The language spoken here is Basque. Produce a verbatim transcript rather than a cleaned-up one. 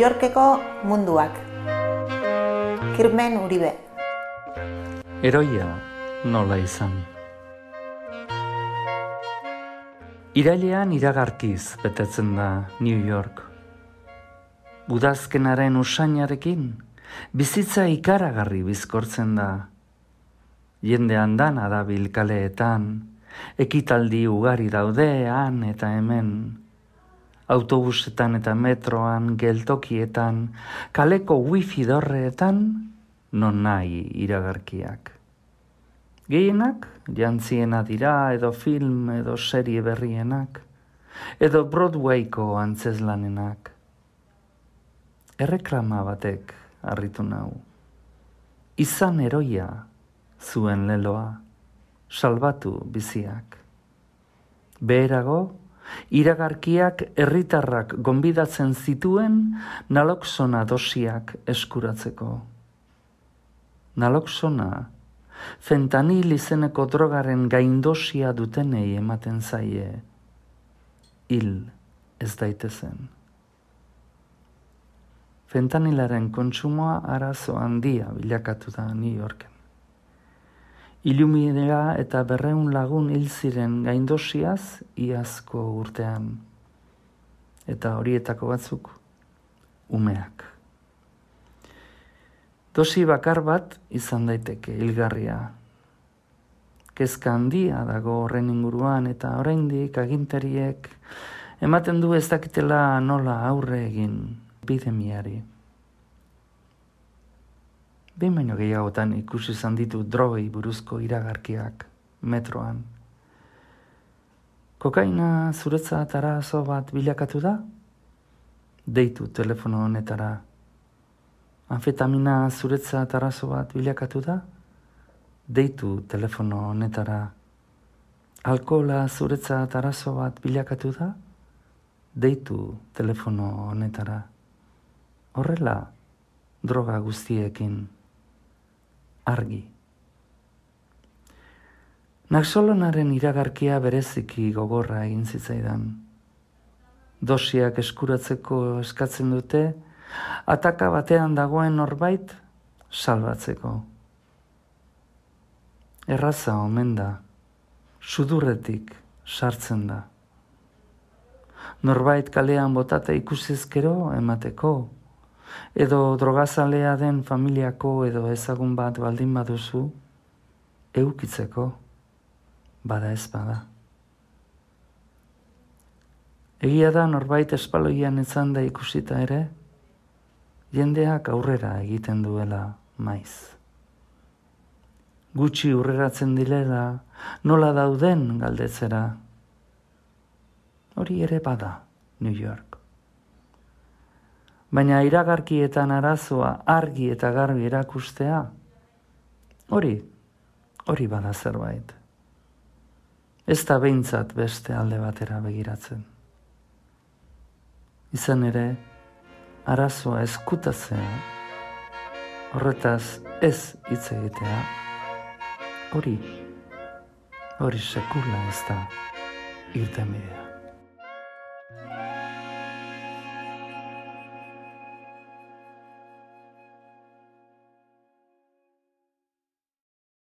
Yorkeko munduak. Kirmen Uribe. Heroia nola izan. Irailean iragarkiz betetzen da New York. Udazkenaren usainarekin bizitza ikaragarri bizkortzen da. Jende andana dabil kaleetan, ekitaldi ugari daude han eta hemen. Autobusetan eta metroan, geltokietan, kaleko wifi dorreetan, non nahi iragarkiak. Gehienak, jantziena dira edo film edo serie berrienak, edo Broadwayko antzeslanenak. Erreklama batek harritu nau. Izan heroia zuen leloa, salbatu biziak. Beherago, iragarkiak herritarrak gonbidatzen zituen naloxona dosiak eskuratzeko. Naloxona, fentanil izeneko drogaren gaindosia dutenei ematen zaie, hil ez daitezen. Fentanilaren kontsumoa arazo handia bilakatu da New Yorken. Ilumidea eta berreun lagun hil ziren gaindosiaz iazko urtean. Eta horietako batzuk, umeak. Dosi bakar bat izan daiteke hilgarria. Kezka handia dago horren inguruan eta oraindik agintariek ematen du ez dakitela nola aurre egin epidemiari. Behin baino gehiagotan ikusi izan ditu drogei buruzko iragarkiak metroan. Kokaina zuretzat arazo bat bilakatu da? Deitu telefono honetara. Anfetamina zuretzat arazo bat bilakatu da? Deitu telefono honetara. Alkohola zuretzat arazo bat bilakatu da? Deitu telefono honetara. Horrela, droga guztiekin. Argi. Naxolonaren iragarkia bereziki gogorra egin zitzaidan. Dosiak eskuratzeko eskatzen dute, ataka batean dagoen norbait salbatzeko. Erraza omen da, sudurretik sartzen da. Norbait kalean botata ikusizkero emateko, edo drogazalea den familiako edo ezagun bat baldin baduzu, eukitzeko, bada ez bada. Egia da norbait espaloian etzan da ikusita ere, jendeak aurrera egiten duela maiz. Gutxi urreratzen direla, nola dauden galdetzera. Hori ere bada, New York. Baina iragarkietan arazoa argi eta garbi erakustea, hori, hori bada zerbait. Ez da behintzat beste alde batera begiratzen. Izan ere, arazoa ezkutatzea, horretaz ez hitz egitea, hori, hori sekula ez da irtenbidea.